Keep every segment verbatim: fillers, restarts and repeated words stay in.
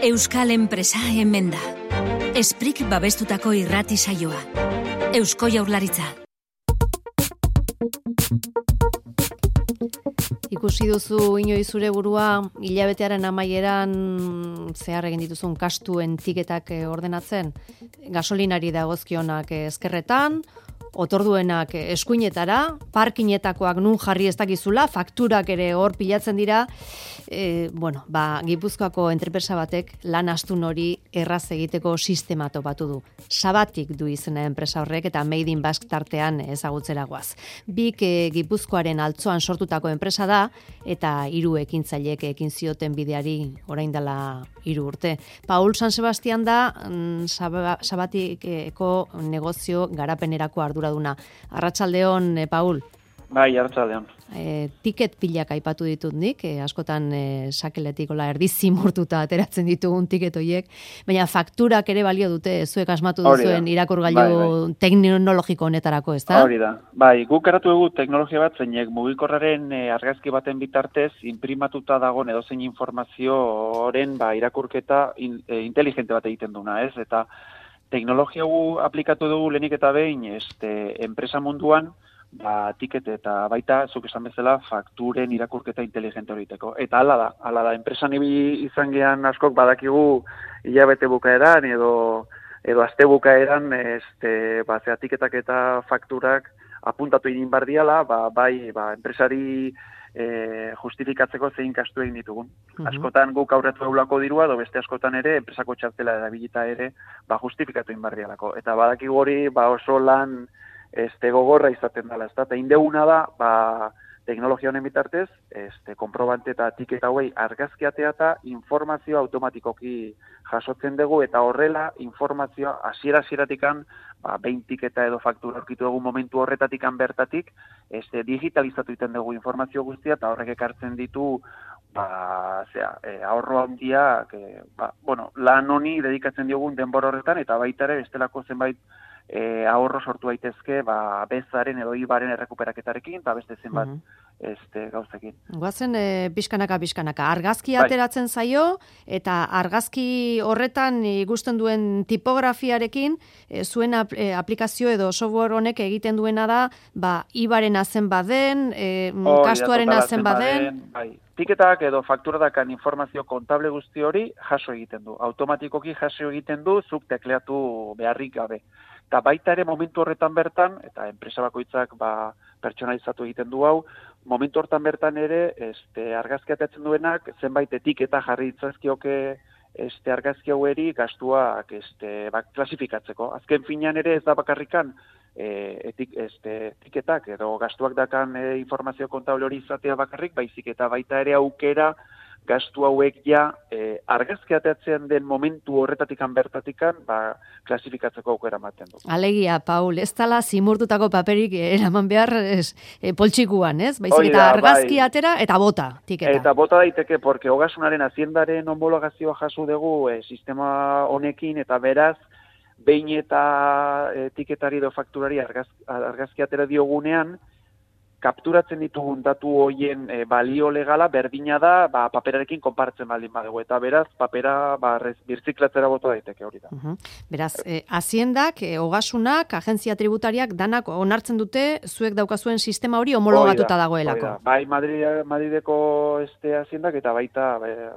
Euskal enpresa hemen da. Esprik babestutako irrati saioa. Eusko Jaurlaritza. Ikusi duzu inoiz zure burua hilabetearen amaieran zehar egin dituzun kastuen tiketak ordenatzen? Gasolinari dagozkionak ezkerretan, otorduenak eskuinetara, parkinetakoak nun jarri ez dakizula, fakturak ere hor pilatzen dira. E, bueno, ba, Gipuzkoako enpresa batek lan astun hori erraz egiteko sistema topatu du. Sabatik du izena enpresa horrek eta Made in Basque tartean ezagutzera goaz. Bik e, Gipuzkoaren altzoan sortutako enpresa da eta hiru ekintzailek ekin zioten bideari orain dela hiru urte. Paul San Sebastian da mm, Sabatikeko negozio garapenerako arduraduna. Arratsaldeon, e, Paul. Bai, arratsaldeon. E, tiket pilak aipatu ditut nik, e, askotan e, sakeletikola erdi zimurtuta ateratzen ditugun tiket horiek, baina fakturak ere balio dute, zuek asmatu duzuen irakurgailu bai, bai. teknologiko honetarako, ez da? Hori da. Bai, guk garatu dugu teknologia bat zeinek mugikorraren e, argazki baten bitartez inprimatuta dagoen edozein informazioaren ba, irakurketa in, e, inteligente bat egiten duna, ez? Eta teknologia gu aplikatu dugu lehenik eta behin este, enpresa munduan, ba, tiket eta baita, zuk esan bezala, fakturen irakurketa inteligente horiteko. Eta hala da, hala da, enpresan izan gehan askok badakigu hilabete bukaeran edo, edo aste bukaeran, este, ba, zera, tiketak eta fakturak apuntatu egin bar diala, ba, bai, ba, enpresari e, justifikatzeko zein kastu egin ditugun. Uh-huh. Askotan guk aurretu eulako dirua, edo beste askotan ere, enpresako txartela erabilita ere, ba, justifikatu egin bar dialako. Eta badakigu hori, ba, oso lan este gogorra izaten dela, ezta? Eta indeguna da, ba, teknologia honen bitartez, este konprobante eta tiketa hauei argazkiatea eta informazioa automatikoki jasotzen dugu eta horrela informazioa hasiera-hasieratikan, ba, behin tiketa edo faktura aurkitu dugu momentu horretatikan bertatik, este digitalizatu egiten dugu informazio guztia eta horrek ekartzen ditu ba, zera, e, ahorro handia, que, ba, bueno, lan honi dedikatzen diogun denbora horretan eta baita ere bestelako zenbait E, ahorro sortu daitezke ba, bezaren edo ibaren errekuperaketarekin eta beste zenbat uh -huh. este, gauzekin. Guazen e, pixkanaka, pixkanaka. Argazki ateratzen bai. zaio eta argazki horretan ikusten duen tipografiarekin e, zuen ap, e, aplikazio edo software honek egiten duena da ba, ibaren azen baden, e, oh, kastuaren azen baden. baden bai. Tiketak edo fakturadakan informazio kontable guzti hori jaso egiten du. Automatikoki jaso egiten du zuk tekleatu beharrik gabe. Eta baita ere momentu horretan bertan, eta enpresa bakoitzak ba, pertsonalizatu egiten du hau, momentu horretan bertan ere este, argazki atatzen duenak zenbait etiketa jarri ditzazkioke este, argazki haueri gastuak este, ba, klasifikatzeko. Azken finean ere ez da bakarrikan e, etik, este, etiketak edo gastuak dakan e, informazio kontable hori izatea bakarrik, baizik eta baita ere aukera gastu hauek ja eh, argazki ateatzen den momentu horretatikan bertatikan ba, klasifikatzeko aukera ematen du. Alegia, Paul, ez tala zimurtutako paperik eraman behar ez, e, poltsikuan, ez? Baizik eta argazki bai. atera eta bota, tiketa. Eta bota daiteke, porque Ogasunaren haziendaren homologazioa jaso dugu e, sistema honekin eta beraz, behin eta e, tiketari edo fakturari argaz, argazki atera diogunean, kapturatzen ditugun datu hoien e, balio legala berdina da ba, paperarekin konparatzen baldin badugu. Eta beraz, papera ba, birziklatzera bota daiteke hori da. Uh-huh. Beraz, eh, haziendak, eh, Ogasunak, agentzia tributariak, danak onartzen dute zuek daukazuen sistema hori homologatuta dagoelako. Da. Bai, Madrid, Madrideko este haziendak eta baita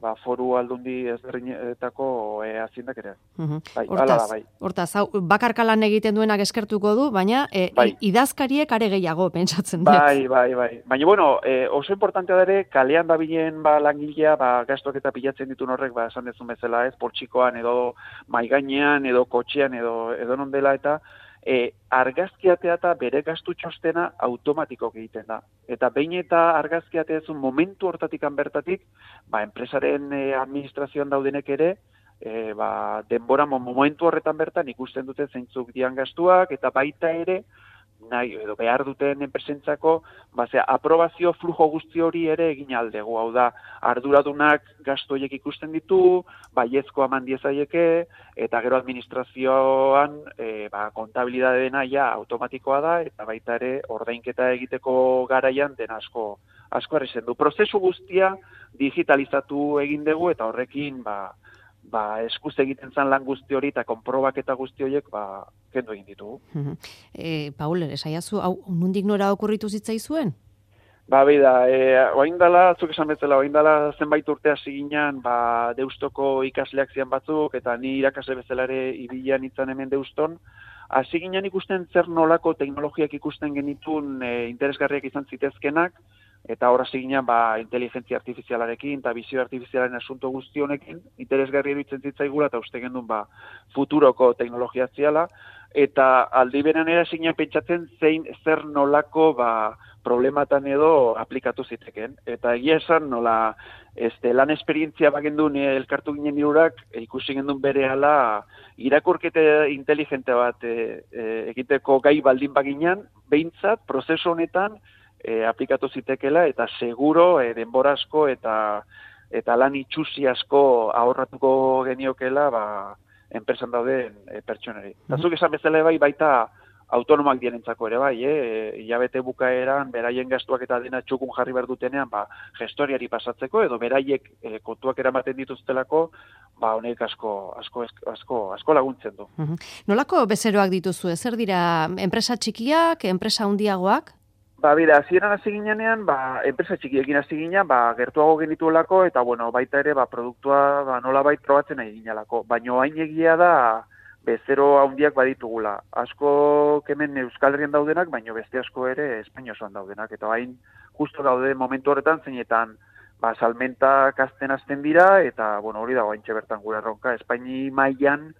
ba, foru aldundi ezberdinetako e, haziendak ere. Uh-huh. Bai, hortaz, ala da, bai. Hortaz, hau, bakarkalan egiten duenak eskertuko du, baina e, bai. idazkariek are gehiago pentsatzen dut. Bai, bai, bai. Baina, bueno, eh, oso importantea da ere, kalean dabilen ba, langilea, ba, gastuak eta pilatzen ditun horrek, ba, esan dezun bezala, ez, poltsikoan, edo maigainean, edo kotxean, edo, edo non dela, eta e, argazkiatea eta bere gastu txostena automatiko egiten da. Eta behin eta argazkiatea ezun momentu hortatikan bertatik, ba, enpresaren e, administrazioan daudenek ere, e, ba, denbora momentu horretan bertan ikusten dute zeintzuk dian gastuak, eta baita ere, nahi, edo behar duten enpresentzako, ba, zera, aprobazio flujo guzti hori ere egin aldegu. Hau da, arduradunak gastu horiek ikusten ditu, baiezkoa eman diezaieke, eta gero administrazioan e, ba, kontabilidade dena ja automatikoa da, eta baita ere ordainketa egiteko garaian den asko, asko errezen du. Prozesu guztia digitalizatu egin dugu, eta horrekin, ba, ba, eskuz egiten zen lan guzti hori eta konprobaketa guzti horiek, ba, kendu egin ditugu. E, Paul, esaiazu, hau, nondik nora okurritu zitzaizuen? Ba, beida, e, oain dala, zuk esan bezala, oain dala zenbait urte hasi ginen, ba, Deustoko ikasleak zian batzuk, eta ni irakasle bezala ere ibilan itzan hemen Deuston, hasi ginen ikusten zer nolako teknologiak ikusten genitun e, interesgarriak izan zitezkenak, eta hor hasi ginen ba, inteligentzia artifizialarekin eta bizio artifizialaren asunto guzti honekin, interesgarri iruditzen zitzaigula eta uste gendun ba, futuroko teknologia ziala, eta aldi beran era zinen pentsatzen zein zer nolako ba, problematan edo aplikatu ziteken. Eta egia esan nola este, lan esperientzia bagendun elkartu ginen irurak, ikusi gendun berehala irakurkete inteligente bat e, e, egiteko gai baldin baginan, behintzat, prozesu honetan, E, aplikatu zitekela eta seguro e, denbora asko eta eta lan itxusi asko ahorratuko geniokela ba, enpresan dauden e, pertsoneri. Eta zuk esan bezala bai baita autonomak dienentzako ere bai, eh? Hilabete bukaeran beraien gastuak eta dena txukun jarri behar dutenean ba, gestoriari pasatzeko edo beraiek e, kontuak eramaten dituztelako ba, honek asko, asko, asko, asko laguntzen du. Nolako bezeroak dituzu? Zer dira enpresa txikiak, enpresa handiagoak? Ba, bera, hasieran hasi ginean, ba, enpresa txikiekin hasi ginean, ba, gertuago genituelako, eta, bueno, baita ere, ba, produktua, ba, nola bait probatzen nahi ginalako. Baina hain egia da, bezero handiak baditugula. Asko kemen Euskal Herrian daudenak, baina beste asko ere Espainia osoan daudenak. Eta hain, justo daude momentu horretan, zeinetan, ba, salmentak azten azten dira, eta, bueno, hori dago haintxe bertan gure erronka, Espaini mailan,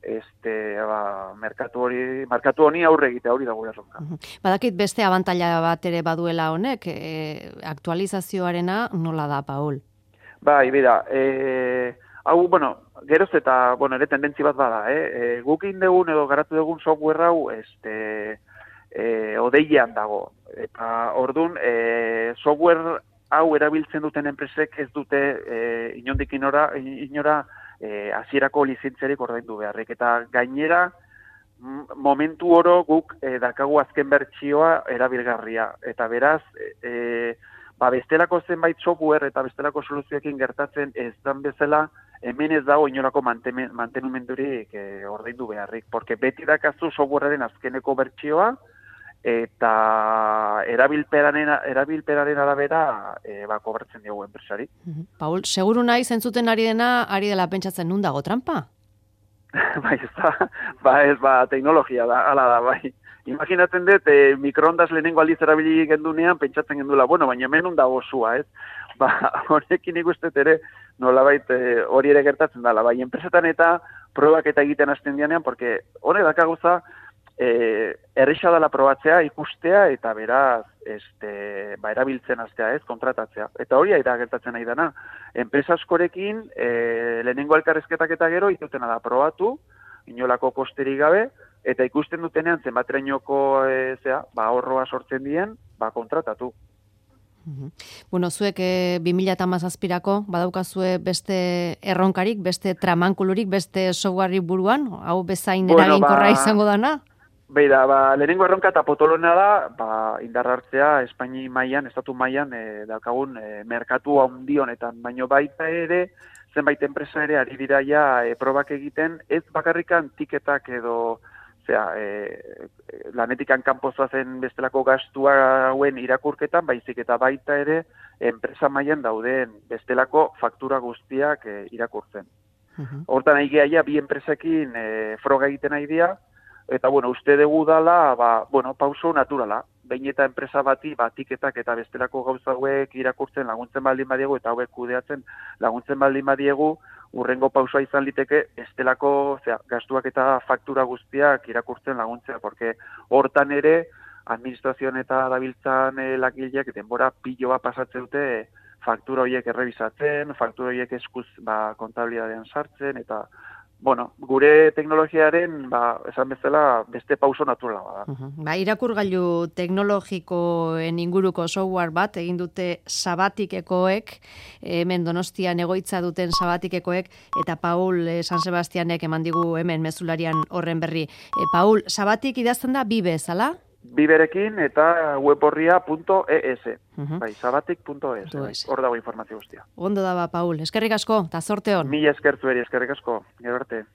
este ba merkatu hori markatu honi aurre egitea hori da gure erronka. Badakit beste abantaila bat ere baduela honek, e, aktualizazioarena nola da, Paul? Bai, bera, eh hau bueno, geroz eta bueno, ere tendentzi bat bada, eh, e, guk indegun edo garatu dugun software hau este eh odeian dago. Eta ordun eh software hau erabiltzen duten enpresek ez dute eh inondik inora inora E, hasierako lizentziarik ordaindu beharrik. Eta gainera, momentu oro guk e, dakagu azken bertsioa erabilgarria. Eta beraz, e, ba bestelako zenbait software eta bestelako soluzioekin gertatzen ez dan bezala, hemen ez dago inolako mantenumendurik e, ordaindu beharrik. Porque beti dakazu softwarearen azkeneko bertsioa, eta erabilperaren erabilperaren arabera e, ba kobratzen diogu enpresari. Paul, seguru nahi zentzuten ari dena ari dela pentsatzen nun dago trampa? Bai, ez da, ba ez ba teknologia da, hala da, bai. Imaginatzen dut e, mikroondas lehenengo aldiz erabili gendunean pentsatzen gendula, bueno, baina hemen nun dago sua, ez? Ba, honekin ikustet ere nolabait e, hori ere gertatzen dela, bai, enpresetan eta probak eta egiten hasten dianean, porque honek dakaguza Eh, erresa dela probatzea, ikustea, eta beraz, este, ba, erabiltzen hastea, ez, kontratatzea. Eta hori da gertatzen nahi dana. Enpresa askorekin, eh, lehenengo elkarrezketak eta gero, itutena da probatu, inolako kosterik gabe, eta ikusten dutenean zenbaterainoko e, zea, ba, ahorroa sortzen dien, ba, kontratatu. Bueno, zuek e, bi mila hamazazpirako badaukazue beste erronkarik, beste tramankulurik, beste softwarerik buruan, hau bezain bueno, eraginkorra ba... izango dana? Beira, ba, lehenengo erronka eta potolona da, ba, indarra hartzea Espaini mailan, estatu mailan, e, daukagun e, merkatu handi honetan, baino baita ere, zenbait enpresa ere ari dira ja e, probak egiten, ez bakarrikan tiketak edo, zera, e, lanetikan kanpozoa zen bestelako gastua hauen irakurketan, baizik eta baita ere, enpresa mailan dauden bestelako faktura guztiak e, irakurtzen. Uh-huh. Hortan nahi geha, bi enpresekin e, froga egiten nahi dira, eta, bueno, uste dugu dala, ba, bueno, pauso naturala. Behin eta enpresa bati, ba, tiketak eta bestelako gauza hauek irakurtzen laguntzen baldin badiegu, eta hauek kudeatzen laguntzen baldin badiegu, urrengo pausoa izan liteke, bestelako, zera, gastuak eta faktura guztiak irakurtzen laguntzea, porque hortan ere, administrazioan eta dabiltzan eh, lagileak denbora piloa pasatzen dute, faktura horiek errebisatzen, faktura horiek eskuz, ba, kontabilidadean sartzen, eta bueno, gure teknologiaren, ba, esan bezala, beste pauso naturala bada. Uh-huh. Ba, irakurgailu teknologikoen inguruko software bat, egin dute Sabatikekoek, hemen Donostian egoitza duten Sabatikekoek, eta Paul eh, San Sebastianek eman digu hemen mezularian horren berri. E, Paul, Sabatik idazten da bibe, zala? biberekin eta weborria punto e s. Mhm. Bai, sabatik punto e s. Punto es. Hor dago informazio guztia. Ondo da ba, Paul. Eskerrik asko, ta zorte on. Mila esker zueri, eskerrik asko. Gero arte.